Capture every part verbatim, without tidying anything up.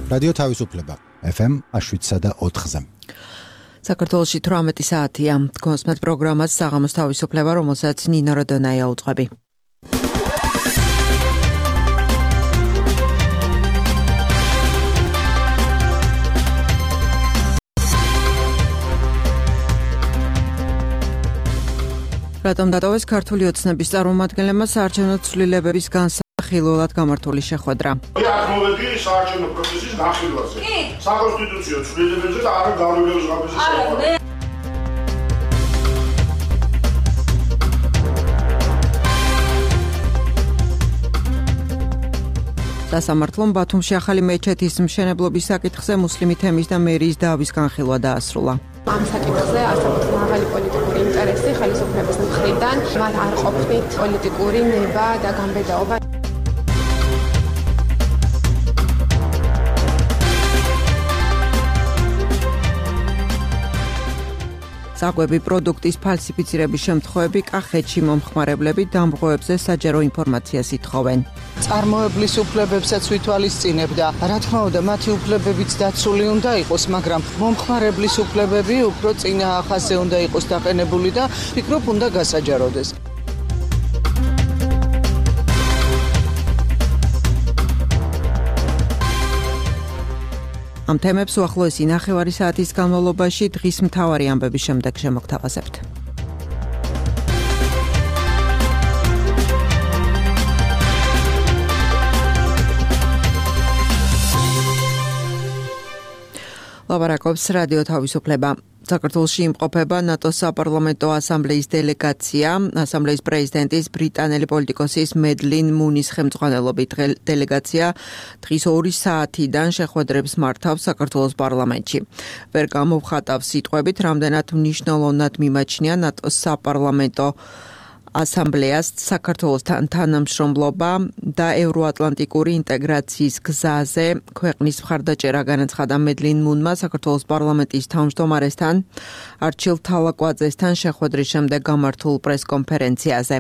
რადიო თავისუფლება ეფ ემ შვიდსა და ოთხზე. საქართველოში თვრამეტი საათია. გონსმეთ პროგრამას საღამოს თავისუფლება, რომელსაც ნინო როდონაია უძღვები. რატომ დატოვეს ქართული ოცნების წარმომადგენლებმა საარჩევნო ცვლილებების განსახილველად გამართული შეხვედრა? აქ მოვედი საარჩევნო პროცესის განხილვაზე. საკონსტიტუციო ცვლილებებზე და არა გავლენების ღამეზე. სასამართლომ ბათუმში ახალი მეჩეთის მშენებლობის საკითხზე მუსლიმი თემის და მერიის დავის განხილვა დაასრულა. ამ საკითხზე არსებობს მაღალი პოლიტიკური ინტერესი ხელისუფლების მხრიდან, მათ არ ყოფნით პოლიტიკური ნება და გამბედაობა. საკვები პროდუქტის ფალსიფიცირების შემთხვევები კახეთში მომხმარებლები დამრღვევებზე საჯარო ინფორმაციას ითხოვენ. წარმოებლის უფლებებსაც ვითვალისწინებდა. რა თქმა უნდა, მათი უფლებებიც დაცული უნდა იყოს, მაგრამ მომხმარებლის უფლებები უფრო წინა ახაზე უნდა იყოს დაყენებული და ფიქრობ უნდა გასაჯაროდეს. ამ თემებს უახლოესი ნახევარი საათის განმავლობაში დღის მთავარი ამბების შემდეგ შემოგთავაზებთ. ლაპარაკობს რადიო თავისუფლება. საქართველოში იმყოფება ნატოს საპარლამენტო ასამბლეის დელეგაცია. ასამბლეის პრეზიდენტის ბრიტანელი პოლიტიკოსის მედლინ მუნის ხელმძღვანელობით დელეგაცია დღის ორი საათიდან შეხვედრებს მართავს საქართველოს პარლამენტში. ვერ გამოვხატავს სიტყვებით, რამდენად მნიშვნელოვნად მიმაჩნია ნატოს საპარლამენტო ასამბლეას საქართველოსთან თანამშრომლობა და ევროატლანტიკური ინტეგრაციის გზაზე ქვეყნის მხარდაჭერა განაცხადა მედლინ მუნმა საქართველოს პარლამენტის თავმჯდომარესთან არჩილ თალაკვაძესთან შეხვედრის შემდეგ გამართულ პრესკონფერენციაზე.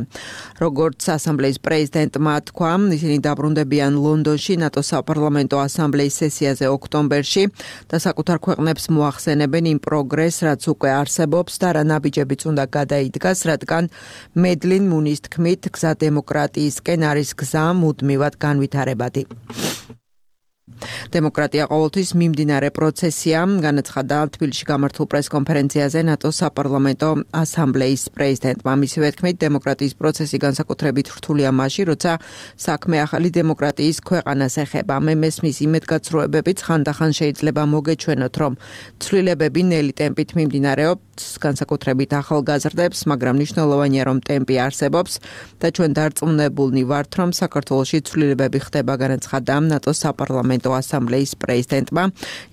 როგორც ასამბლეის პრეზიდენტმა თქვა, ისინი დაბრუნდებიან ლონდონში ნატოს საპარლამენტო ასამბლეის სესიაზე ოქტომბერში და საკუთარ ქვეყნებს მოახსენებენ იმ პროგრესს, რაც უკვე არსებობს და რა ნაბიჯებიც უნდა გადაიდგას, რადგან მედლინ მუნის თქმით, გზა დემოკრატიისკენ არის გზა მუდმივად განვითარებადი. დემოკრატია ყოველთვის მიმდინარე პროცესია, განაცხადა თბილისში გამართულ პრესკონფერენციაზე ნატოს საპარლამენტო ასამბლეის პრეზიდენტმა. მისივე თქმით, დემოკრატიის პროცესი განსაკუთრებით რთულია მაშინ, როცა საქმე ახალი დემოკრატიის ქვეყანას ეხება. მე მესმის იმედგაცრუებებით ხანდახან შეიძლება მოგეჩვენოთ, რომ ცვლილებები ნელი ტემპით მიმდინარეობს, განსაკუთრებით ახალგაზრდებს, მაგრამ მნიშვნელოვანია, რომ ტემპი არსებობს და ჩვენ დარწმუნებულნი ვართ, რომ საქართველოში ცვლილებები ხდება, განაცხადა ნატოს საპარლამენტო ასამბლეის პრეზიდენტმა.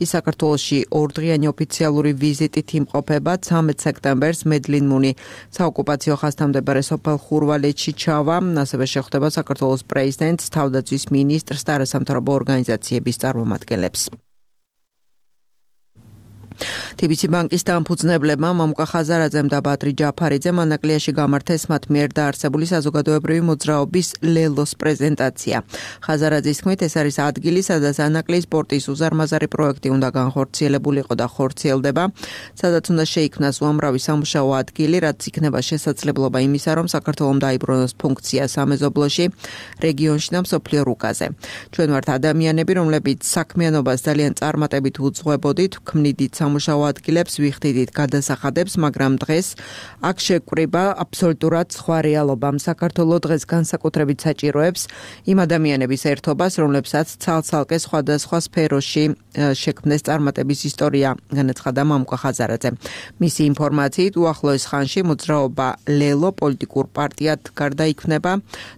ის საქართველოში ორდღიანი ოფიციალური ვიზიტით იმყოფება. ცამეტ სექტემბერს მედლინ მუნი საოკუპაციო ხაზთამდებარე სოფელ ხურვალეთში ჩავა. ასევე შეხვდება საქართველოს პრეზიდენტს, თავდაცვის მინისტრს და არასამთავრობო ორგანიზაციების წარმომადგენლებს. თი ბი სი ბანკის დამფუძნებლებმა მამუკა ხაზარაძემ და ბადრი ჯაფარიძემ ანაკლიაში გამართეს მათ მიერ დაარსებული საზოგადოებრივი მოძრაობის ლელოს პრეზენტაცია. ხაზარაძის თქმით, ეს არის ადგილი, სადაც ანაკლის სპორტის უზარმაზარი პროექტი უნდა განხორციელებულიყო და ხორციელდება, სადაც უნდა შეიქმნას უამრავი სამუშაო ადგილი, რაც იქნება შესაძლებლობა იმისა, რომ საქართველოს დაიბრუნოს ფუნქცია სამეზობლოში, რეგიონში და მსოფლიო რუკაზე. ჩვენ ვართ ადამიანები, რომლებიც საქმიანობას ძალიან წარმატებით უძღვებოდით, ქმნიდით სამუშაო ადგილებს, ვიხდიდით გადასახადებს, მაგრამ დღეს აქ შეგვკრიბა აბსოლუტურად სხვა რეალობა. საქართველოს დღეს განსაკუთრებით საჭიროებს იმ ადამიანების ერთობას, რომლებსაც ცალ-ცალკე სხვადასხვა სფეროში შექმნეს წარმატების ისტორია, განაცხადა მამუკა ხაზარაძე. მისი ინფორმაციით, უახლოეს ხანში მოძრაობა ლელო პოლიტიკურ პარტიად გარდაიქმნება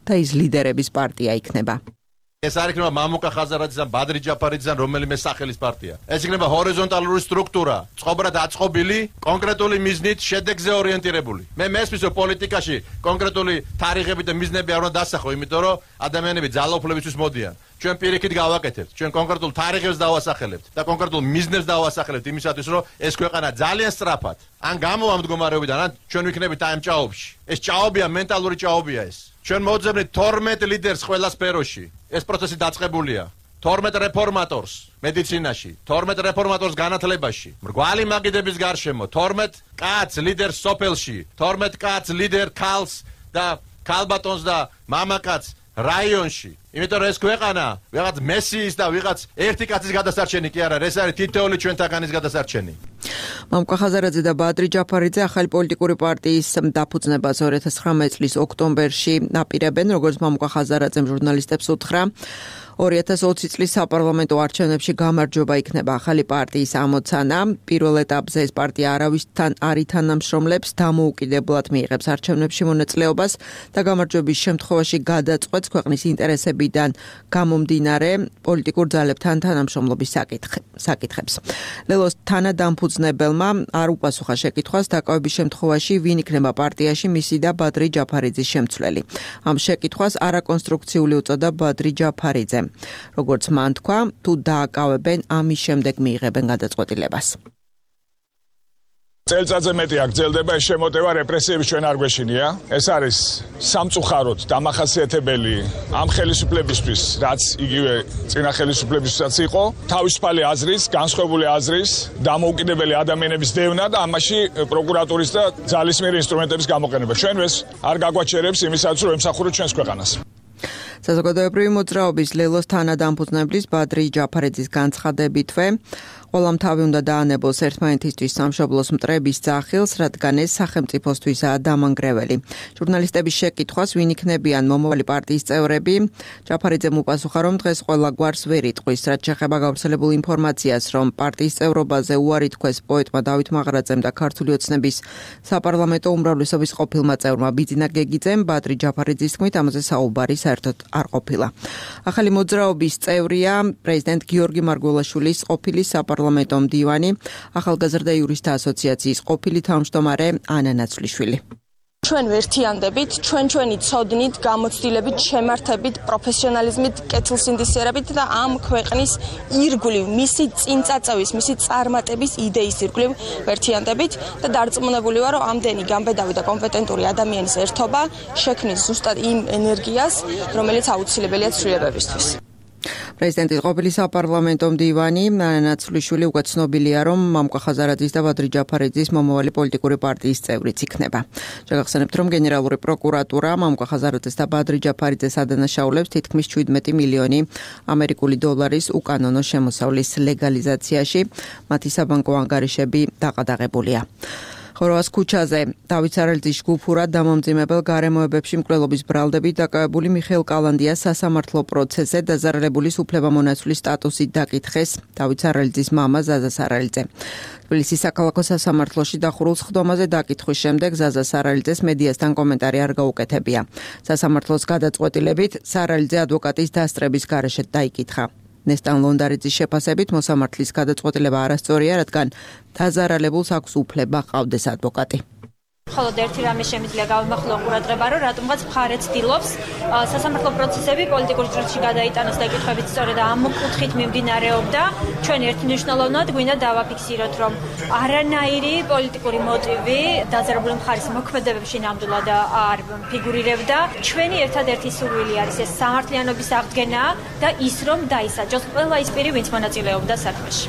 და ის ლიდერების პარტია იქნება. ეს არ იქნება მამუკა ხაზარაძიდან, ბადრი ჯაფარიძიდან რომელიმე სახელის პარტია. ეს იქნება ჰორიზონტალური სტრუქტურა, წყობრად აწყობილი, კონკრეტული მიზნით, შედეგზე ორიენტირებული. მე მესმის, რომ პოლიტიკაში კონკრეტული თარიღები და მიზნები არ უნდა დასახო, იმიტომ რომ ადამიანები ძალაუფლებისთვის მოდიან. ჩვენ პირიქით გავაკეთებთ, ჩვენ კონკრეტულ თარიღებს დავასახელებთ და კონკრეტულ მიზნებს დავასახელებთ იმისათვის, რომ ეს ქვეყანა ძალიან სწრაფად ან გამოვა მდგომარეობიდან, ან ჩვენ ვიქნებით აი ამ ჭაობში. ეს ჭაობია, მენტალური ჭაობია ეს. ჩვენ მოძებნით თორმეტ ლიდერს ყველა სფეროში. ეს პროცესი დაწყებულია. თორმეტ რეფორმატორს მედიცინაში, თორმეტ რეფორმატორს განათლებაში, მრგვალი მაგიდების გარშემო, თორმეტ კაცს ლიდერს სოფელში, თორმეტ კაცს ლიდერ ქალს და ქალბატონს და მამაკაცს რაიონში. იმიტომ რომ ეს ქვეყანა ვიღაც მესიის და ვიღაც ერთი კაცის გადასარჩენი კი არა, ეს არის თითოეული ჩვენთაგანის გადასარჩენი. მამუკა ხაზარაძე და ბადრი ჯაფარიძე ახალი პოლიტიკური პარტიის დაფუძნებას ორი ათას ცხრამეტ წლის ოქტომბერში აპირებენ, როგორც მამუკა ხაზარაძემ ჟურნალისტებს უთხრა. ორი ათას ოცი წლის საპარლამენტო არჩევნებში გამარჯვება იქნება ახალი პარტიის ამოცანა. პირველ ეტაპზე ეს პარტია არავისთან არ ითანამშრომლებს, დამოუკიდებლად მიიღებს არჩევნებში მონაწილეობას და გამარჯვების შემთხვევაში გადაწყვეტს ქვეყნის ინტერესებიდან გამომდინარე პოლიტიკურ ძალებთან თანამშრომლობის საკითხებს. ლელოს თანადამფუძნებელმა არ უპასუხა შეკითხვას დაკავების შემთხვევაში ვინ იქნება პარტიაში მისი და ბადრი ჯაფარიძის შემცვლელი. ამ შეკითხვას არაკონსტრუქციული უწოდა ბადრი ჯაფარიძემ. როგორც მან თქვა, თუ დააკავებენ, ამის შემდეგ მიიღებენ გადაწყვეტილებას. წელწადზე მეტი აგრძელდება ეს შემოტევა რეპრესიების ჩვენ არ გვეშინია. ეს არის სამწუხაროდ დამახასიათებელი ამ ხელისუფლებისთვის, რაც იგივე წინა ხელისუფლებისთვისაც იყო, თავისუფალი აზრის, განსხვავებული აზრის, დამოუკიდებელი ადამიანების დევნა და ამაში პროკურატურის და ძალისმიერი ინსტრუმენტების გამოყენება. ჩვენ ეს არ გაგვაჩერებს იმისათვის, რომ ემსახუროთ ჩვენს ქვეყანას. საზოგადოებრივი მოძრაობის ლელოს თანადამფუძნებლის ბადრი ჯაფარიძის განცხადებითვე ყველამ თავი უნდა დაანებოს ერთმანეთისთვის სამშობლოს მტრების ძახილს, რადგან ეს სახელმწიფოსთვისაა დამანგრეველი. ჟურნალისტების შეკითხვას ვინ იქნებიან მომავალი პარტიის წევრები, ჯაფარიძემ უპასუხა, რომ დღეს ყველა გვარს ვერ იტყვის, რაც შეეხება გავრცელებულ ინფორმაციას, რომ პარტიის წევრობაზე უარი თქვეს პოეტმა დავით მაღრაძემ და ქართული ოცნების საპარლამენტო უმრავლესობის ყოფილმა წევრმა ბიძინა გეგიძემ, ბადრი ჯაფარიძის თქმით, ამაზე საუბარი საერთოდ არ ყოფილა. ახალი მოძრაობის წევრია პრეზიდენტ გიორგი მარგველაშვილის ყოფილი საპარლამენტო მდივანი, ახალგაზრდა იურისტთა ასოციაციის ყოფილი თავმჯდომარე ანა ნაცვლიშვილი. ჩვენ ვერთიანდებით, ჩვენ ჩვენი ცოდნით, გამოცდილებით, შემართებით, პროფესიონალიზმით, კეთილსინდისიერებით და ამ ქვეყნის ირგვლივ, მისი წინწაწევის, მისი წარმატების იდეის ირგვლივ ვერთიანდებით და დარწმუნებული ვარ, რომ ამდენი გამბედავი და კომპეტენტური ადამიანის ერთობა შექმნის ზუსტად იმ ენერგიას, რომელიც აუცილებელია ცვლილებებისთვის. პრეზიდენტის ყოფილი საპარლამენტო მდივანი ანა ნაცვლიშვილი უკვე ცნობილია, რომ მამუკა ხაზარაძის და ბადრი ჯაფარიძის მომავალი პოლიტიკური პარტიის წევრიც იქნება. შეგახსენებთ, რომ გენერალური პროკურატურა მამუკა ხაზარაძეს და ბადრი ჯაფარიძეს ადანაშაულებს თითქმის შვიდმეტი მილიონი ამერიკული დოლარის უკანონო შემოსავლის ლეგალიზაციაში. მათი საბანკო ანგარიშები დაყადაღებულია. ხორვას ქუჩაზე დავით სარალიძის ჯგუფურად დამამძიმებელ გარემოებებში მკვლელობის ბრალდებით დაკავებული მიხეილ კალანდიას სასამართლო პროცესზე დაზარალებული უფლებამონაცვლის სტატუსით დაკითხეს დავით სარალიძის მამა ზაზა სარალიძე. თბილისის საქალაქო სასამართლოში დახურულ სხდომაზე დაკითხვის შემდეგ ზაზა სარალიძეს მედიასთან კომენტარი არ გაუკეთებია. სასამართლოს გადაწყვეტილებით სარალიძე ადვოკატის დასწრების გარეშე დაიკითხა. ნესტან ლონდარიძის შეფასებით მოსამართლის გადაწყვეტილება არასწორია, რადგან დაზარალებულს აქვს უფლება ჰყავდეს ადვოკატი. მხოლოდ ერთი რამე შემიძლია გავიმახვილო ყურადღება, რომ რატომღაც მხარე ცდილობს სასამართლო პროცესები პოლიტიკურ ჭრილში გადაიტანოს და კითხვებით სწორედ ამ კუთხით მიმდინარეობდა. ჩვენ ერთმნიშვნელოვნად გვინდა დავაფიქსიროთ, რომ არანაირი პოლიტიკური მოტივი დაზარალებული მხარის მოქმედებებში ნამდვილად არ ფიგურირებდა. ჩვენი ერთადერთი სურვილი არის ეს სამართლიანობის აღდგენა და ის, რომ დაისაჯოს ყველა ის პირი, ვინც მონაწილეობდა საქმეში.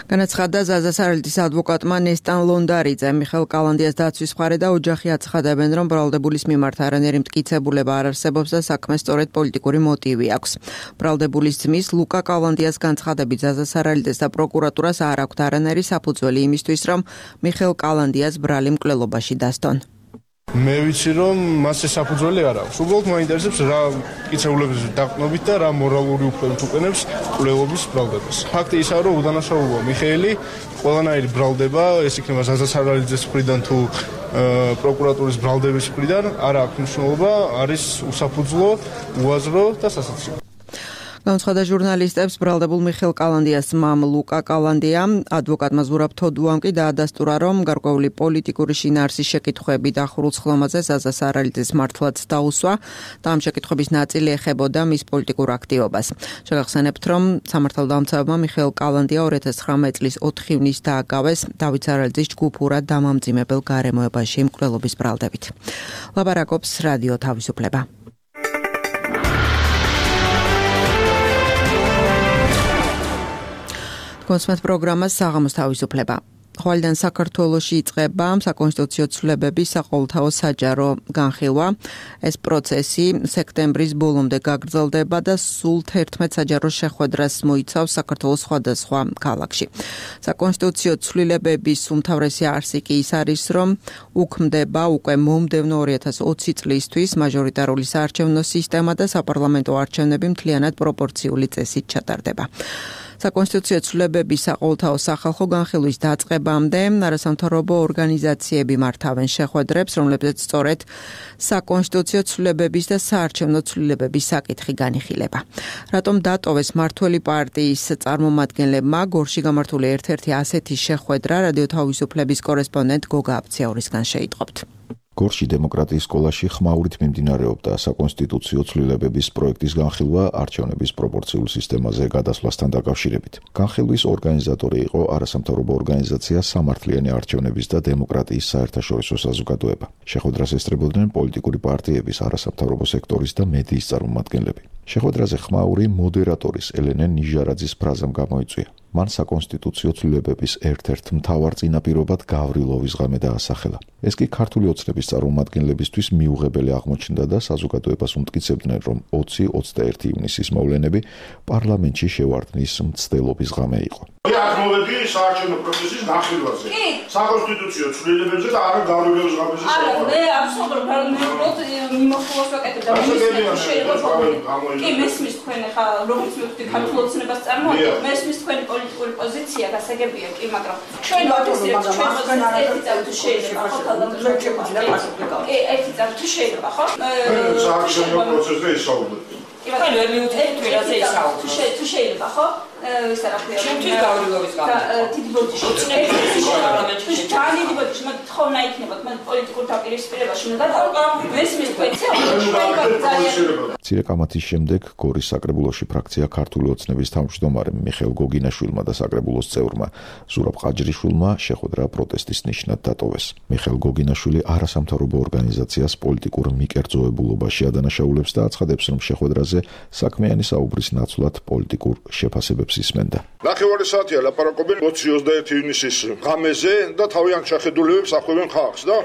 განაცხადა ზაზა სარალიძის ადვოკატმა ნესტან ლონდარიძე. მიხეილ კალანდიას დაცვის მხარე და ოჯახი აცხადებენ, რომ ბრალდებულის მიმართ არანაირი მტკიცებულება არ არსებობს და საქმეს სწორედ პოლიტიკური მოტივი აქვს. ბრალდებულის ძმის ლუკა კალანდიას განცხადებით ზაზა სარალიძეს და პროკურატურას არ აქვთ არანაირი საფუძველი იმისთვის, რომ მიხეილ კალანდიას ბრალი მკვლელობაში დასდონ. მე ვიცი, რომ მას ეს საფუძველი არ აქვს. უბრალოდ მაინტერესებს რა მტკიცებულების დაყრდნობით და რა მორალური უფლებებით უყენებს მკვლელობის ბრალდებას. ფაქტი ისაა, რომ უდანაშაულოა მიხეილი, ყველანაირი ბრალდება, ეს იქნება ზაზა სარალიძეს მხრიდან თუ პროკურატურის ბრალდების მხრიდან, არ აქვს მნიშვნელობა, არის უსაფუძვლო, უაზრო და სასაცილო. განცხადა ჟურნალისტებს ბრალდებულ მიხეილ კალანდიას მამ ლუკა კალანდია, ადვოკატმა ზურაბ თოდუამ კი დაადასტურა, რომ გარკვეული პოლიტიკური შინაარსის შეკითხვები დახურულ სხდომაზე ზაზა სარალიძეს მართლაც დაუსვა და ამ შეკითხვების ნაწილი ეხებოდა მის პოლიტიკურ აქტივობას. შეგახსენებთ, რომ სამართალდამცავებმა მიხეილ კალანდია ორი ათას ცხრამეტ წლის ოთხი ივნის დააკავეს დავით სარალიძის ჯგუფურად დამამძიმებელ გარემოებაში მკვლელობის ბრალდებით. ლაბარაკობს რადიო თავისუფლება. კონსმეთ პროგრამას საღამოს თავისუფლება. ხვალიდან საქართველოში იწყება საკონსტიტუციო ცვლილებების საყოველთაო საჯარო განხილვა. ეს პროცესი სექტემბრის ბოლომდე გაგრძელდება და სულ თერთმეტ საჯარო შეხვედრას მოიცავს საქართველოს სხვადასხვა ქალაქში. საკონსტიტუციო ცვლილებების უმთავრესი არსი კი ის არის, რომ უქმდება უკვე მომდევნო ორი ათას ოცი წლისთვის მაჟორიტარული საარჩევნო სისტემა და საპარლამენტო არჩევნები მთლიანად პროპორციული წესით ჩატარდება. საკონსტიტუციო ცვლილებების საყოველთაო სახალხო განხილვის დაწყებამდე არასამთავრობო ორგანიზაციები მართავენ შეხვედრებს, რომლებზეც სწორედ საკონსტიტუციო ცვლილებების და საარჩევნო ცვლილებების საკითხი განიხილება. რატომ დატოვეს მმართველი პარტიის წარმომადგენლებმა გორში გამართული ერთ-ერთი ასეთი შეხვედრა რადიო თავისუფლების კორესპონდენტ გოგა აბციაურისგან შეიტყობთ. გორში დემოკრატიის სკოლაში ხმაურით მიმდინარეობდა საკონსტიტუციო ცვლილებების პროექტის განხილვა არჩევნების პროპორციულ სისტემაზე გადასვლასთან დაკავშირებით. განხილვის ორგანიზატორი იყო არასამთავრობო ორგანიზაცია სამართლიანი არჩევნების და დემოკრატიის საერთაშორისო საზოგადოება. შეხვედრას ესწრებოდნენ პოლიტიკური პარტიების, არასამთავრობო სექტორის და მედიის წარმომადგენლები. შეხვედრაზე ხმაური მოდერატორის ელენე ნიჟარაძის ფრაზამ გამოიწვია. მან საკონსტიტუციო ცვლილებების ერთ-ერთ მთავარ წინაპირობად გავრილოვის ღამე დაასახელა. ეს კი ქართული ოცნების წარმომადგენლებისთვის მიუღებელი აღმოჩნდა და საზოგადოებას უმტკიცებდნენ, რომ ოცი ოცდაერთი ივნისის მოვლენები პარლამენტში შევარდნის მცდელობის ღამე იყო. აქ მოვედი საარჩევნო პროცესის განხილვაზე. საკონსტიტუციო ცვლილებებზე და არა გავრილოვის ღამეზე. არა, მე აბსოლუტურად არ მიმოხილოს ვაკეთებ და კი მესმის თქვენ ხა როგორც მივხვდი ქართულ ოცნებას წარმოადგენთ, მესმის თქვენი პოლიტიკური პოზიცია გასაგებია კი, მაგრამ ჩვენ ვაკეთებთ ჩვენ ერთი წამი თუ შეიძლება ხო კი ერთი წამი თუ შეიძლება ხო საარჩევნო პროცესზე ისაუბრეთ. კი ვერ მივხვდით ვერაზე ისაუბრეთ. თუ შეიძლება ხო ის რა ქვია ჩვენთვის გავრილოვის გამო დიდი ბოდიში ოცნების პარლამენტში ძალიან დიდი ბოდიში მათ თხოვნა იქნება მათ პოლიტიკურ დაპირისპირებაში უნდა გადავყავ მესმის თქვენცია ძალიან მცირე კამათის შემდეგ გორის საკრებულოში ფრაქცია ქართული ოცნების თავმჯდომარემ მიხეილ გოგინაშვილმა და საკრებულოს წევრმა ზურაბ ყაჯრიშვილმა შეხვედრა პროტესტის ნიშნად დატოვეს. მიხეილ გოგინაშვილი არასამთავრობო ორგანიზაციას პოლიტიკურ მიკერძოებულობაში ადანაშაულებს და აცხადებს, რომ შეხვედრაზე საქმიანი საუბრის ნაცვლად პოლიტიკურ შეფასებებს ისმენდა. ნახევარი საათია ლაპარაკობენ ოცი ოცდაერთი ივნისის ღამეზე და თავიანთ შეხედულებებს ახვევენ ხალხს და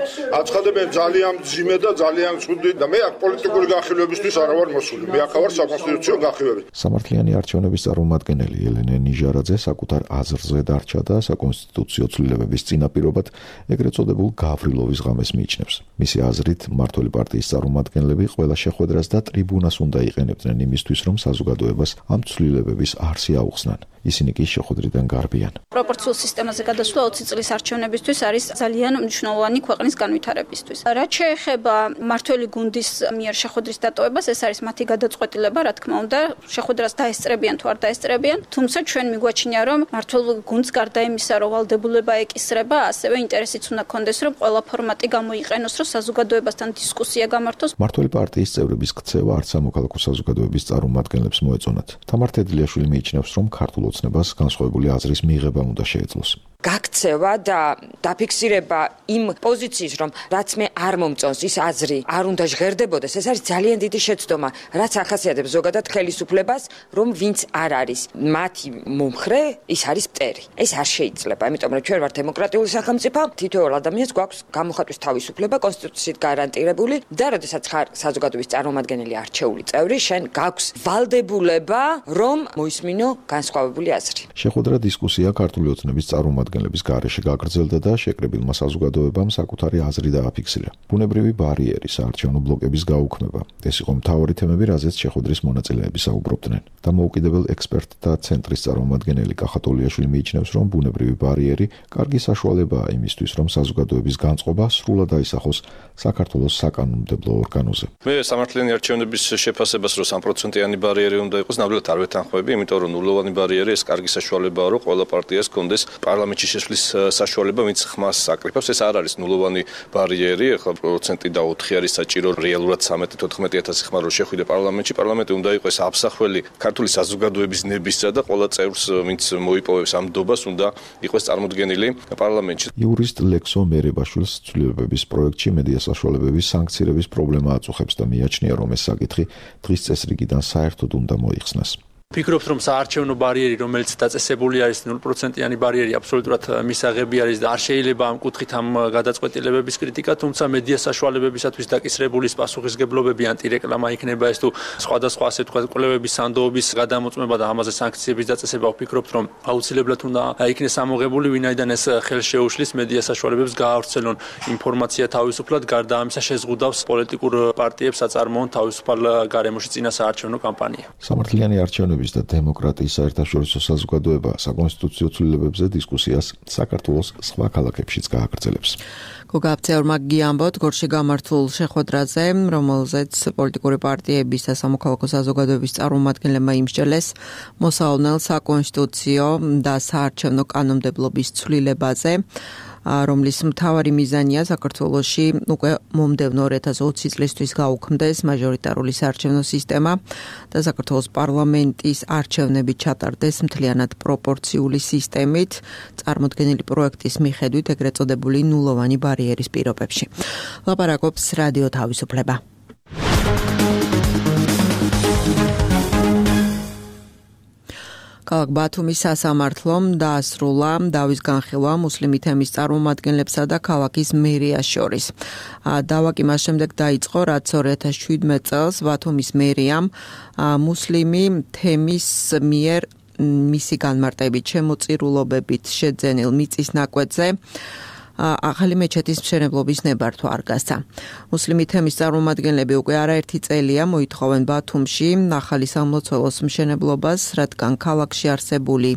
აცხადებენ ძალიან მძიმე და ძალიან ცუდი და მე აქ პოლიტიკური განხილვებისთვის არა ვარ მოსული. მე აქ ვარ საკონსტიტუციო განხილვებით. სამართლიანი არჩევნების წარმომადგენელი ელენე ნიჟარაძე საკუთარ აზრზე დარჩა და საკონსტიტუციო ცვლილებების წინაპირობად ეგრეთ წოდებულ გავრილოვის ღამეს მიიჩნევს. მისი აზრით, მმართველი პარტიის წარმომადგენლები ყველა შეხვედრას და ტრიბუნას უნდა იყენებდნენ იმისთვის, რომ საზოგადოებას ამ ცვლილებების არსი აუხსნან. ისინი კი შეხვედრიდან გარბიან. პროპორციულ სისტემაზე გადასვლა ოცი წლის არჩევნებისთვის არის ძალიან მნიშვნელოვანი ქვეყნის განვითარებისთვის. რაც შეეხება მმართველი გუნდის მიერ შეხვედრის დატოვებას, ეს არის მათი გადაწყვეტილება, რა თქმა უნდა, შეხვედრას დაესწრებიან თუ არ დაესწრებიან, თუმცა ჩვენ მიგვაჩნია, რომ მმართველ გუნდს გარდა იმისა, რომ ვალდებულება ეკისრება, ასევე ინტერესიც უნდა კონდეს, რომ ყველა ფორმატი გამოიყენოს, რომ საზოგადოებასთან დისკუსია გამართოს. მმართველი პარტიის წევრების ქცევა არც სამოქალაქო საზოგადოების წარმომადგენლებს მოეწონათ. თამარ თედლიაშვილი მიიჩნევს, რომ ქართულ ოცნებას განსხვავებული აზრის მიღება უნდა შეეძლოს. გაქცევა და დაფიქსირება იმ პოზიციის, რომ რაც მე არ მომწონს, ის აზრი არ უნდა ჟღერდებოდეს, ეს არის ძალიან დიდი შეცდომა, რაც ახასიათებს ზოგადად ხელისუფლებას, რომ ვინც არ არის მათი მომხრე, ის არის მტერი. ეს არ შეიძლება, იმიტომ რომ ჩვენ ვართ დემოკრატიული სახელმწიფო, თითოეულ ადამიანს გვაქვს გამოხატვის თავისუფლება, კონსტიტუციით გარანტირებული და როდესაც ხარ საზოგადოების წარმომადგენელი არჩეული წევრი, შენ გაქვს ვალდებულება, რომ მოისმინო განსხვავებული აზრი. შეხვედრა დისკუსია ქართული ოცნების წარმომადგენლების გარეშე გაგრძელდა და შეკრებილმა საზოგადოებამ საკუთარი აზრი დააფიქსირა. ბუნებრივი ბარიერი, საარჩევნო ბლოკების გაუქმება. ეს იყო მთავარი თემები, რაზეც შეხვედრის მონაწილეები საუბრობდნენ. დამოუკიდებელ ექსპერტთა ცენტრის წარმომადგენელი კახატოლიაშვილი მიიჩნევს, რომ ბუნებრივი ბარიერი კარგი საშუალებაა იმისთვის, რომ საზოგადოების განწყობა სრულად აისახოს საქართველოს საკანონმდებლო ორგანოზე. მე სამართლიანი არჩევნების შეფასებას რომ სამ პროცენტიანი ბარიერი უნდა იყოს, ნამდვილად არ ვეთანხმები, იმიტომ რომ ნულოვანი ბარიერი ეს კარგი საშუალებაა, რომ ყველა პარტიას კონდეს პარლამენტში შესვლის საშუალება, ვინც ხმას აკრიფავს. ეს არ არის ნულოვანი ბარიერი, ახლა პროცენტი და ოთხი არის საჭირო, რეალურად ცხრამეტი თოთხმეტი ათასი ხმა რო შეხვიდე პარლამენტში, პარლამენტი უნდა იყოს აფსახველი ქართული საზოგადოების ნებისა და ყველა წევრს, ვინც მოიპოვებს ამ დობას, უნდა იყოს წარმოდგენილი პარლამენტში. იურისტ ლექსო მერებაშვილს ცვლილებების პროექტში მედია საშუალებების სანქცირების პრობლემა აწუხებს და მიაჩნია, რომ ეს საკითხი დღის წესრიგიდან საერთოდ უნდა მოიხსნას. ვფიქრობთ, რომ საარჩევნო ბარიერი, რომელიც დაწესებული არის ნულ პროცენტიანი ბარიერი, აბსოლუტურად მისაღები არის და არ შეიძლება ამ კუთხით ამ გადაწყვეტილებების კრიტიკა, თუმცა მედია საშუალებებისათვის დაკისრებული პასუხისგებლობები, ანტირეკლამა იქნება ეს თუ სხვადასხვა ასე თქვა კვლევების სანდოობის გადამოწმება და ამაზე სანქციების დაწესება, ვფიქრობთ, რომ აუცილებლად უნდა იქნეს ამოღებული, ვინაიდან ეს ხელს შეუშლის მედია საშუალებებს გაავრცელონ ინფორმაცია თავისუფლად, გარდა ამისა შეზღუდავს პოლიტიკურ პარტიებს აწარმოონ თავისუფალ გარემოში წინა საარჩევნო კამპანია. სამართლიანი არჩევნების და დემოკრატიის საერთაშორისო საზოგადოება საკონსტიტუციო ცვლილებებზე დისკუსიას საქართველოს სხვა ქალაქებშიც გააგრძელებს. გოგა აფცეორმა გიამბოთ გორში გამართულ შეხვედრაზე, რომელზეც პოლიტიკური პარტიების და სამოქალაქო საზოგადოების წარმომადგენლებმა იმსჯელეს მოსავალ საკონსტიტუციო და საარჩევნო კანონმდებლობის ცვლილებაზე, რომლის მთავარი მიზანია საქართველოში უკვე მომდევნო ორი ათას ოცი წლისთვის გაუქმდეს მაჟორიტარული საარჩევნო სისტემა და საქართველოს პარლამენტის არჩევნები ჩატარდეს მთლიანად პროპორციული სისტემით, წარმოდგენილი პროექტის მიხედვით ეგრეთ წოდებული ნულოვანი ბარიერის პირობებში. ლაპარაკობს რადიო თავისუფლება. ქალაქ ბათუმის სასამართლომ დაასრულა დავის განხილვა მუსლიმი თემის წარმომადგენლებსა და ქალაქის მერიას შორის. დავა კი მას შემდეგ დაიწყო, რაც ორი ათას შვიდმეტ წელს ბათუმის მერიამ მუსლიმი თემის მიერ მისი განმარტებით შემოწირულობებით შეძენილ მიწის ნაკვეთზე ახალი მეჩეთის მშენებლობის ნებართვა არ გასცა. მუსლიმი თემის წარმომადგენლები უკვე არაერთი წელია მოითხოვენ ბათუმში ახალი სამლოცველოს მშენებლობას, რადგან ქალაქში არსებული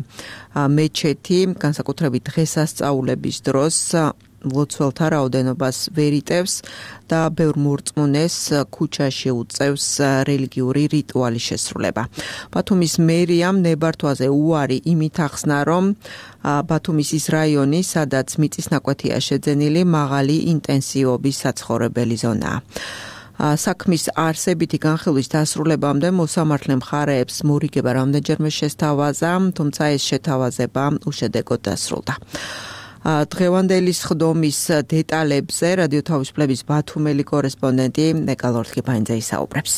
მეჩეთი განსაკუთრებით დღესასწაულების დროს ლოცველთა რაოდენობას ვერ იტევს და ბევრ მორწმუნეს ქუჩაში უწევს რელიგიური რიტუალის შესრულება. ბათუმის მერიამ ნებართვაზე უარი იმით ახსნა, რომ ბათუმის ის რაიონი, სადაც მიწის ნაკვეთია შეძენილი, მაღალი ინტენსივობის საცხოვრებელი ზონაა. საქმის არსებითი განხილვის დასრულებამდე მოსამართლე მხარეებს მორიგება რამდენჯერმე შესთავაზა, თუმცა ეს შეთავაზება უშედეგოდ დასრულდა. დღევანდელი სხდომის დეტალებზე რადიო თავისუფლების ბათუმელი კორესპონდენტი ნეკალ ორთქიფანიძე ისაუბრებს.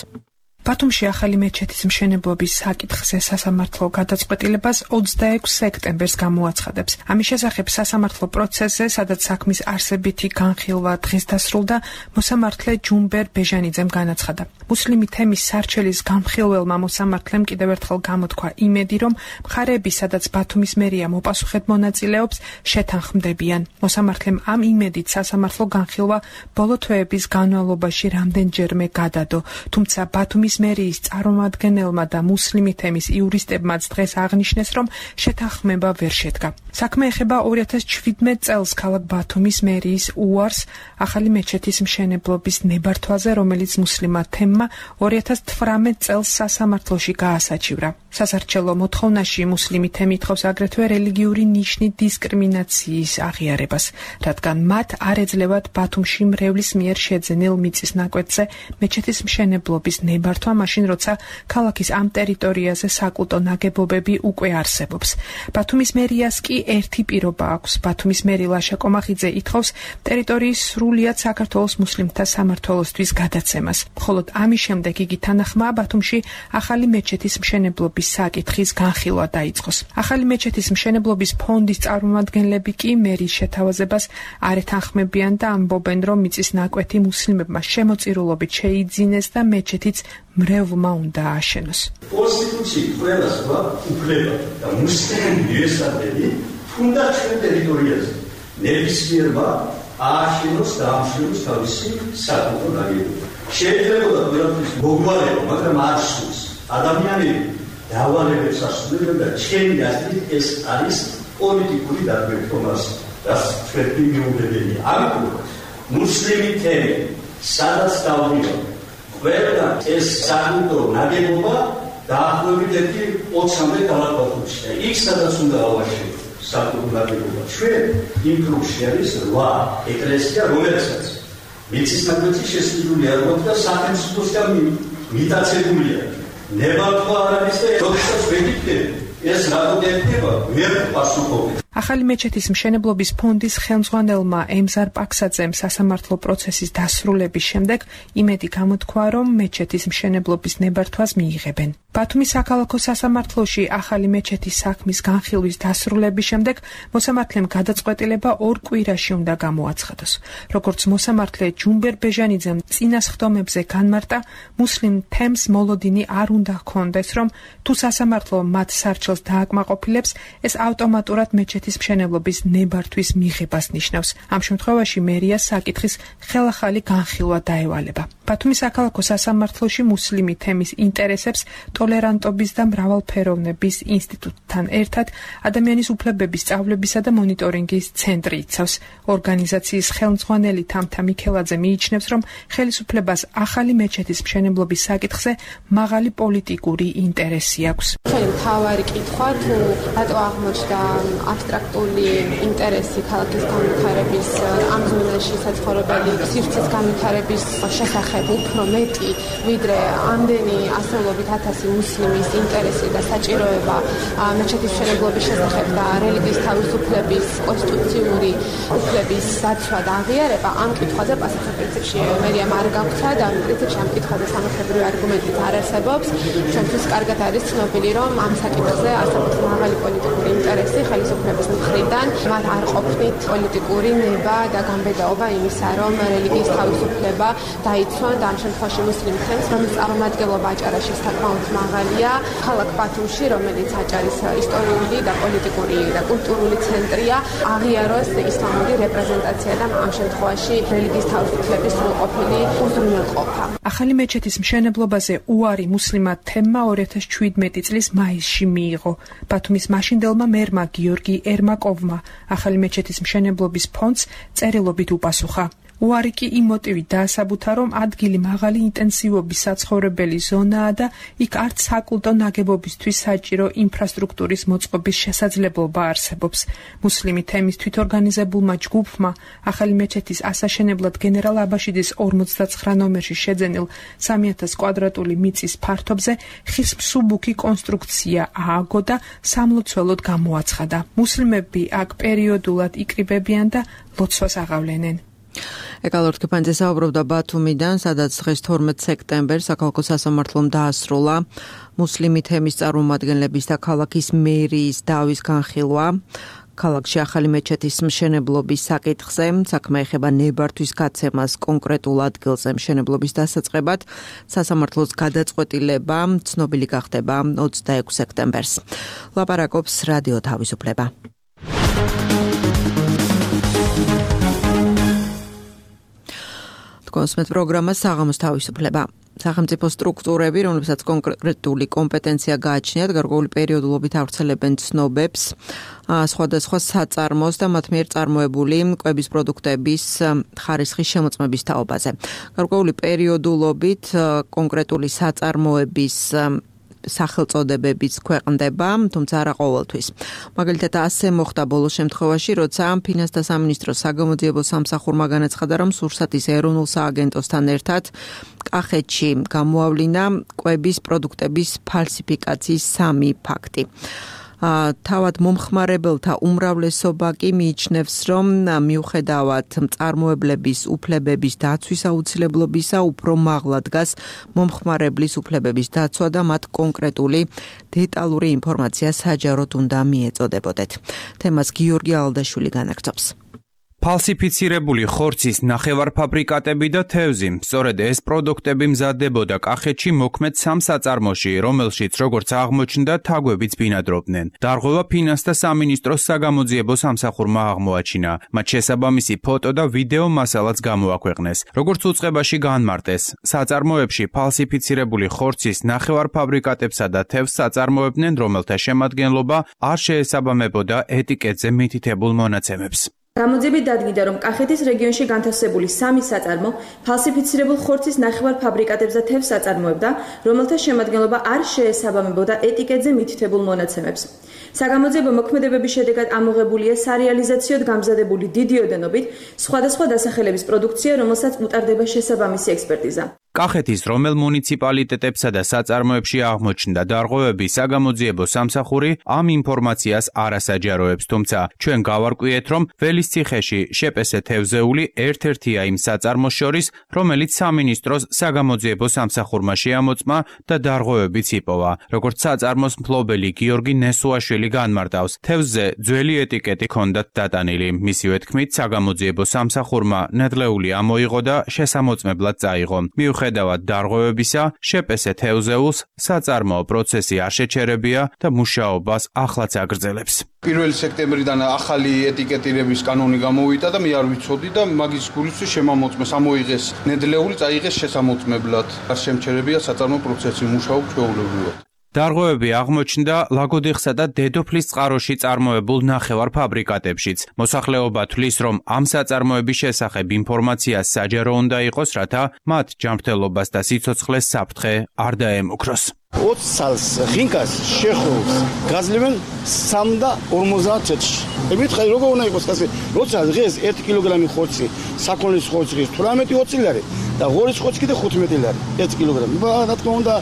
ბათუმში ახალი მეჩეთის მშენებლობის საკითხზე სასამართლო გადაწყვეტილებას ოცდაექვსი სექტემბერს გამოაცხადებს. ამის შესახებ სასამართლო პროცესზე, სადაც საქმის არსებითი განხილვა დღეს დასრულდა, მოსამართლე ჯუმბერ ბეჟანიძემ განაცხადა. მუსლიმი თემის სარჩელის გამხილველმა მოსამართლემ კიდევ ერთხელ გამოთქვა იმედი, რომ მხარეები, სადაც ბათუმის მერია მოპასუხედ მონაწილეობს, შეთანხმდებიან. მოსამართლემ ამ იმედით სასამართლო განხილვა ბოლო თვეების განმავლობაში რამდენჯერმე გადადო, თუმცა ბათუმის მერიის წარმომადგენელმა და მუსლიმი თემის იურისტებმაც დღეს აღნიშნეს, რომ შეთანხმება ვერ შედგა. საქმე ეხება ორი ათას შვიდმეტ წელს ქალაქ ბათუმის მერიის უარს ახალი მეჩეთის მშენებლობის ნებართვაზე, რომელიც მუსლიმმა თემმა ორი ათას თვრამეტ წელს სასამართლოში გაასაჩივრა. სასარჩელო მოთხოვნაში მუსლიმი თემი ითხოვს აგრეთვე რელიგიური ნიშნით დისკრიმინაციის აღიარებას, რადგან მათ არ ეძლევათ ბათუმში მრევლის მიერ შეძენილ მიწის ნაკვეთზე მეჩეთის მშენებლობის ნებართვა, მაშინ როცა ქალაქის ამ ტერიტორიაზე საკულტო ნაგებობები უკვე არსებობს. ბათუმის მერიას კი ერთი პირობა აქვს. ბათუმის მერი ლაშა კომახიძე ითხოვს ტერიტორიის სრულიად საქართველოს მუსლიმთა სამმართველოსთვის გადაცემას. მხოლოდ ამის შემდეგ იგი თანახმაა ბათუმში ახალი მეჩეთის მშენებლობის საკითხის განხილვა დაიწყოს. ახალი მეჩეთის მშენებლობის ფონდის წარმომადგენლები კი მერის შეთავაზებას არ ეთანხმებიან და ამბობენ, რომ მიწის ნაკვეთი მუსლიმებმა შემოწირულობით შეიძინეს და მეჩეთიც მრევლმა უნდა ააშენოს. კონსტიტუცია ყველას უფლება და მუსლიმი ესადები თუნდაც ჩვენ ტერიტორიაზე ნებისმიერმა ააშენოს და ამშვენოს თავისი საკულტო ნაგებობა. შეიძლება ყველაფრის მოგვარება, მაგრამ არ სულს. ადამიანები დავალებებს ასრულებენ და ჩემი აზრით ეს არის პოლიტიკური დაგმირთვას, რაც ჩვენ მიუღებელია. ამიტომ მუსლიმი თემი სადაც დავდიო ყველა ეს საკულტო ნაგებობა დაახლოებით ერთი ოცამდე ქალაქში. იქ სადაც უნდა ავაშენოთ საკულტო ნაგებობა. ჩვენ იმ კრუგში არის რვა ეკლესია, რომელსაც მიწის ნაკვეთი შესრულებული არ მოხდა სახელმწიფოსგან მიტაცებულია. ნებართვა არ არის და როდესაც ვეკითხები ეს რატომ ექნება ვერ პასუხობთ. ახალი მეჩეთის მშენებლობის ფონდის ხელმძღვანელმა ემზარ პაქსაძემ სასამართლო პროცესის დასრულების შემდეგ იმედი გამოთქვა, რომ მეჩეთის მშენებლობის ნებართვას მიიღებენ. ბათუმის საქალაქო სასამართლოში ახალი მეჩეთის საქმის განხილვის დასრულების შემდეგ მოსამართლემ გადაწყვეტილება ორ კვირაში უნდა გამოაცხადოს. როგორც მოსამართლე ჯუმბერ ბეჟანიძემ წინასხდომებზე განმარტა, მუსლიმ თემს მოლოდინი არ უნდა ჰქონდეს, რომ თუ სასამართლო მათ სარჩელს დააკმაყოფილებს, ეს ავტომატურად მეჩეთის მშენებლობის ნებართვის მიღებას ნიშნავს. ამ შემთხვევაში მერიას საკითხის ხელახალი განხილვა დაევალება. ბათუმის საქალაქო სასამართლოში მუსლიმი თემის ინტერესებს ტოლერანტობის და მრავალფეროვნების ინსტიტუტთან ერთად ადამიანის უფლებების სწავლებისა და მონიტორინგის ცენტრი იცავს. ორგანიზაციის ხელმძღვანელი თამთა მიქელაძე მიიჩნევს, რომ ხელისუფლებას ახალი მეჩეთის მშენებლობის საკითხზე მაღალი პოლიტიკური ინტერესი აქვს. ჩვენი მთავარი კითხვა თუ რატო აღმოჩნდა აბსტრაქტული ინტერესი ქალაქის განვითარების ამ ზონაში საცხოვრებელი სივრცის განვითარების შესახებ უფრო მეტი, ვიდრე ამდენი ასეულობით ათასი მუსლიმის ინტერესი და საჭიროება მეჩეთის მშენებლობის შესახებ და რელიგიის თავისუფლების კონსტიტუციური უფლების დაცვა და აღიარება. ამ კითხვაზე პასუხი პრინციპში მერიამ არ გაგვცა და პრინციპში ამ კითხვაზე სამართლებრივი არგუმენტით არ არსებობს. ჩვენთვის კარგად არის ცნობილი, რომ ამ საკითხზე არსებობს მაღალი პოლიტიკური ინტერესი ხელისუფლების მხრიდან. მათ არ ყოფნით პოლიტიკური ნება და გამბედაობა იმისა, რომ რელიგიის თავისუფლება დაიცვან და ამ შემთხვევაში მუსლიმ თემს, რომლის წარმომადგენლობა აჭარაში საკმაოდ მაღალია, ქალაქ ბათუმში, რომელიც აჭარის ისტორიული და პოლიტიკური და კულტურული ცენტრია, აღიაროს ისლამური რეპრეზენტაცია და ამ შემთხვევაში რელიგიის თავისუფლების სრულყოფილი უზრუნველყოფა. ახალი მეჩეთის მშენებლობაზე უარი მუსლიმმა თემმა ორი ათას შვიდმეტი წლის მაისში მიიღო. ბათუმის მაშინდელმა მერმა გიორგი ერმაკოვმა ახალი მეჩეთის მშენებლობის ფონდს წერილობით უპასუხა. უარი კი იმ მოტივით დაასაბუთა, რომ ადგილი მაღალი ინტენსივობის საცხოვრებელი ზონაა და იქ არც საკულტო ნაგებობისთვის საჭირო ინფრასტრუქტურის მოწყობის შესაძლებლობა არსებობს. მუსლიმი თემის თვითორგანიზებულმა ჯგუფმა ახალი მეჩეთის ასაშენებლად გენერალ აბაშიძის ორმოცდაცხრა ნომერში შეძენილ სამი ათას კვადრატული მიწის ფართობზე ხის მსუბუქი კონსტრუქცია ააგო და სამლოცველოდ გამოაცხადა. მუსლიმები აქ პერიოდულად იკრიბებიან და ლოცვას აღავლენენ. ეკალორ თქიფანძე საუბრობდა ბათუმიდან, სადაც დღეს თორმეტ სექტემბერს საქალაქო სასამართლომ დაასრულა მუსლიმი თემის წარმომადგენლების და ქალაქის მერიის დავის განხილვა. ქალაქში ახალი მეჩეთის მშენებლობის საკითხზე, საქმე ეხება ნებართვის გაცემას კონკრეტულ ადგილზე მშენებლობის დასაწყებად, სასამართლოს გადაწყვეტილება ცნობილი გახდება ოცდაექვსი სექტემბერს. ლაპარაკობს რადიო თავისუფლება. კონსმეთ პროგრამა საღამოს თავისუფლება. სახელმწიფო სტრუქტურები, რომლებსაც კონკრეტული კომპეტენცია გააჩნიათ, გარკვეული პერიოდულობით ავრცელებენ ცნობებს, სხვადასხვა საწარმოს და მათ მიერ წარმოებული კვების პროდუქტების ხარისხის შემოწმების თაობაზე. გარკვეული პერიოდულობით კონკრეტული საწარმოების სახელწოდებებიც ქვეყნდება, თუმცა არა ყოველთვის. მაგალითად, ასე მოხდა ბოლო შემთხვევაში, როცა ფინანსთა სამინისტროს საგამოძიებო სამსახურმა განაცხადა, რომ სურსათის ეროვნულ სააგენტოსთან ერთად კახეთში გამოავლინა კვების პროდუქტების ფალსიფიკაციის სამი ფაქტი. თავად მომხმარებელთა უმრავლესობა კი მიიჩნევს, რომ მიუხედავად მწარმოებლების უფლებების დაცვის აუცილებლობისა, უფრო მაღლა დგას მომხმარებლის უფლებების დაცვა და მათ კონკრეტული დეტალური ინფორმაცია საჯაროდ უნდა მიეწოდებოდეთ. თემას გიორგი ალდაშვილი განაგრძობს. ფალსიფიცირებული ხორცის ნახევარფაბრიკატები და თევზი. სწორედ ეს პროდუქტები მზადდებოდა კახეთში მოქმედ სამ საწარმოში, რომელშიც როგორც აღმოჩნდა, თაგვებიც ბინადრობდნენ. დარღვევა ფინანსთა სამინისტროს საგამოძიებო სამსახურმა აღმოაჩინა. მათ შესაბამისი ფოტო და ვიდეო მასალაც გამოაქვეყნეს. როგორც უწყებაში განმარტეს, საწარმოებში ფალსიფიცირებული ხორცის ნახევარფაბრიკატებსა და თევზს აწარმოებდნენ, რომელთა შემადგენლობა არ შეესაბამებოდა ეტიკეტზე მითითებულ მონაცემებს. გამოძიებით დადგინდა, რომ კახეთის რეგიონში განთავსებული სამი საწარმო ფალსიფიცირებულ ხორცის ნახევარფაბრიკატებს და თევზს აწარმოებდა, რომელთა შემადგენლობა არ შეესაბამებოდა ეტიკეტზე მითითებულ მონაცემებს. საგამოძიებო მოქმედებების შედეგად ამოღებულია სარეალიზაციოდ გამზადებული დიდი ოდენობით სხვადასხვა დასახელების პროდუქცია, რომელსაც უტარდება შესაბამისი ექსპერტიზა. კახეთის რომელ მუნიციპალიტეტებსა და საწარმოებში აღმოჩნდა დარღვევები, საგამოძიებო სამსახური ამ ინფორმაციას არასაჯაროებს, თუმცა ჩვენ გავარკვიეთ, რომ ველისციხეში შეპესე თევზეული ერთ-ერთია იმ საწარმოს შორის, რომელიც სამინისტროს საგამოძიებო სამსახურმა შეამოწმა და დარღვევებიც იპოვა. როგორც საწარმოს მფლობელი გიორგი ნესუაშვილი განმარტავს, თევზზე ძველი ეტიკეტი ჰქონდათ დატანილი. მისივე თქმით, საგამოძიებო სამსახურმა ნედლეული ამოიღო და შესამოწმებლად წაიღო. მიუხედავად დარღვევებისა, შეპესე თევზეულს საწარმოო პროცესი არ შეჩერებია და მუშაობას ახლაც აგრძელებს. პირველი სექტემბრიდან ახალი ეტიკეტირების კანონი გამოვიდა და მე არ ვიცოდი და მაგის გულისთვის შემამოწმეს, ამოიღეს ნედლეული, წაიღეს შესამოწმებლად. არ შემჩერებია საწარმო პროცესი, მუშაობ ჩვეულებრივად. დარღვევები აღმოჩნდა ლაგოდიხსა და დედოფლის წყაროში წარმოებულ ნახევარ ფაბრიკატებშიც. მოსახლეობა თვლის, რომ ამ საწარმოების შესახებ ინფორმაცია საჯარო უნდა იყოს, რათა მათ ჯანმრთელობას და სიცოცხლეს საფრთხე არ დაემუქროს. ოცი წელს ხინკას შეხოვს გაძლევენ სამი და ორმოცდაათ წუთში. ემითხარ როგორ უნდა იყოს ასე, როცა დღეს ერთი კილოგრამი ხორცი, საქონლის ხორცი თვრამეტი ოცი ლარი და ღორის ხორცი კიდე ხუთმეტი ლარი ერთი კილოგრამი. რა თქმა უნდა,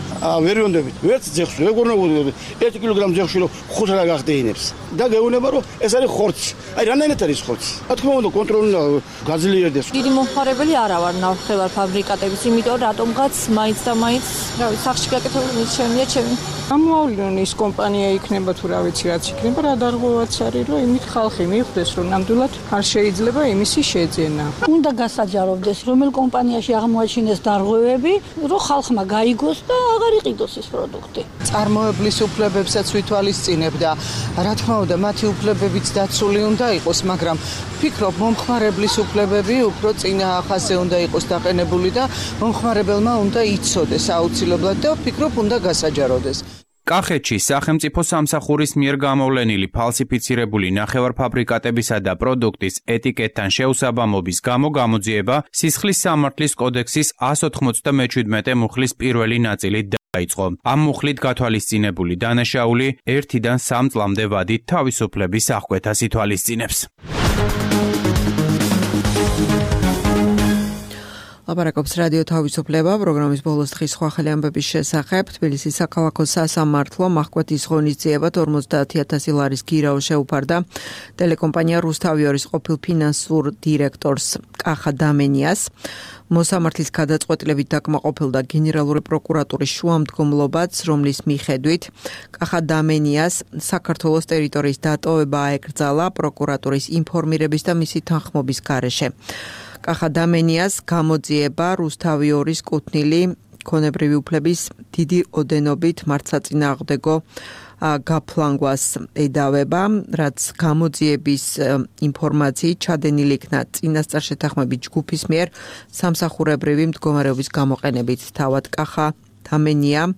ვერ ვიონდებით. ვერც ძეხს როგორ უნდა ვუდგები ერთი კილოგრამი ძეხში რომ ხუთ რა გახდეინებს. და გეუბნება რომ ეს არის ხორცი. აი რამდენად არის ხორცი? რა თქმა უნდა, კონტროლი უნდა გაძლიერდეს. დიდი მომხმარებელი არა ვარ ნახევარ ფაბრიკატების, იმიტომ რატომღაც მაინც და მაინც, რა ვიცი, სახში გაკეთებული შემია ჩემი. გამოავლინონ ის კომპანია იქნება თუ რა ვიცი რაც იქნება, რა დარღვევაც არის, რომ იმით ხალხი მიხვდეს, რომ ნამდვილად არ შეიძლება იმისი შეძენა. უნდა გასაჯაროვდეს, რომელ კომპანიაში აღმოაჩინეს დარღვევები, რომ ხალხმა გაიგოს და აღარ იყიდოს ეს პროდუქტი. წარმოებლის უფლებებსაც ვითვალისწინებ და რა თქმა უნდა, მათი უფლებებიც დაცული უნდა იყოს, მაგრამ ვფიქრობ, მომხმარებლის უფლებები უფრო წინა ხაზზე უნდა იყოს დაყენებული და მომხმარებელმა უნდა იცოდეს აუცილებლად და ვფიქრობ, უნდა გასაჯაროვდეს. კახეთში სახელმწიფო სამსახურის მიერ გამოვლენილი ფალსიფიცირებული ნახევარფაბრიკატებისა და პროდუქტის ეტიკეტთან შეუსაბამობის გამო გამოძიება სისხლის სამართლის კოდექსის εκατს ოთხმოცდამეჩვიდმეტე მუხლის პირველი ნაწილით დაიწყო. ამ მუხლით გათვალისწინებული დანაშაული ერთიდან სამ წლამდე ვადით თავისუფლების აღკვეთას ითვალისწინებს. ლაპარაკობს რადიო თავისუფლება პროგრამის ბოლოს დღის სხვა ხელი ამბების შესახებ. თბილისის საქალაქო სასამართლო მახკვეთის ღონისძიებად ორმოცდაათი ათასი ლარის გირაო შეუფარდა ტელეკომპანია რუსთავიორის ყოფილ ფინანსურ დირექტორს კახა დამენიას. მოსამართლის გადაწყვეტილებით დაკმაყოფილდა გენერალური პროკურატურის შუამდგომლობაც, რომლის მიხედვით კახა დამენიას საქართველოს ტერიტორიის დატოვება აეკრძალა პროკურატურის ინფორმირების და მისი თანხმობის გარეშე. კახა დამენიას გამოძიება რუსთავიორის კუთვნილი ქონებრივი უფლების დიდი ოდენობით მართლსაწინააღმდეგო გაფლანგვას ედავება, რაც გამოძიების ინფორმაციით ჩადენილი იქნა წინასწარ შეთანხმებით ჯგუფის მიერ სამსახურებრივი მდგომარეობის გამოყენებით. თავად კახა დამენია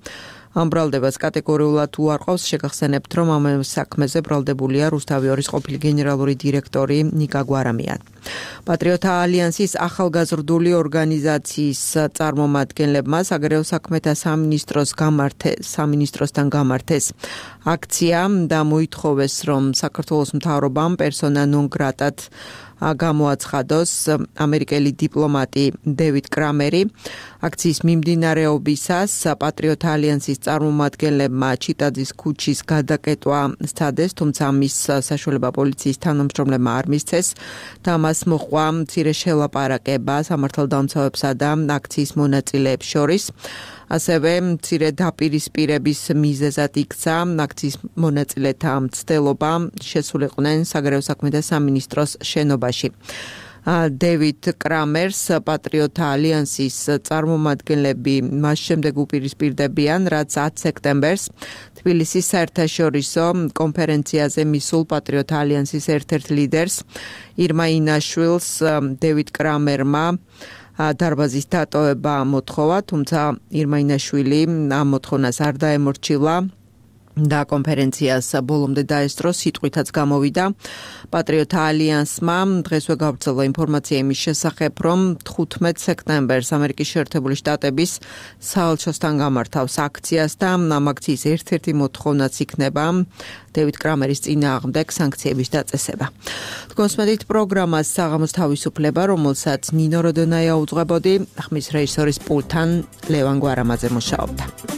ამ ბრალდებას კატეგორიულად უარყოფს. შეგახსენებთ, რომ ამ საქმეზე ბრალდებულია რუსთავიორის ყოფილი გენერალური დირექტორი ნიკა გვარამია. პატრიოტთა ალიანსის ახალგაზრდული ორგანიზაციის წარმომადგენლებმა საგარეო საქმეთა სამინისტროს გამართეს სამინისტროსთან გამართეს აქცია და მოითხოვეს, რომ საქართველოს მთავრობამ პერსონა ნონ გრატად გამოაცხადოს ამერიკელი დიპლომატი დევიდ კრამერი. აქციის მიმდინარეობისას პატრიოტთა ალიანსის წარმომადგენლებმა ჩიტაძის ქუჩის გადაკეტვა სცადეს, თუმცა მის საშუალება პოლიციის თანამშრომლებმა არ მისცეს და მას მოჰყვა მცირე შელაპარაკება სამართალდამცავებსა და აქციის მონაწილეებს შორის. ასევე მცირე დაპირისპირების მიზეზად იქცა აქციის მონაწილეთა მცდელობა შესულიყვნენ საგარეო საქმეთა სამინისტროს შენობაში. დევიდ კრამერს პატრიოტთა ალიანსის წარმომადგენლები მას შემდეგ უპირისპირდებიან, რაც ათი სექტემბერს თბილისის საერთაშორისო კონფერენციაზე მისულ პატრიოტთა ალიანსის ერთ-ერთ ლიდერს ირმა ინაშვილს დევიდ კრამერმა დარბაზის დატოვება მოთხოვა, თუმცა ირმა ინაშვილი ამ მოთხოვნას არ დაემორჩილა და კონფერენციას ბოლომდე დაესწრო სიტყვითაც გამოვიდა პატრიოტთა ალიანსმა დღესვე გავრცელდა ინფორმაცია იმის შესახებ, რომ თხუთმეტ სექტემბერს ამერიკის შეერთებული შტატების საელჩოსთან გამართავს აქციას და ამ აქციის ერთ-ერთი მოთხოვნაც იქნება დევიდ კრამერის წინააღმდეგ სანქციების დაწესება. თქვენს მედით პროგრამას საღამოს თავისუფლება, რომელსაც ნინო როდონაია უძღვებოდი, ხმის რეჟისორის პულტთან ლევან გვარამაძე მუშაობდა.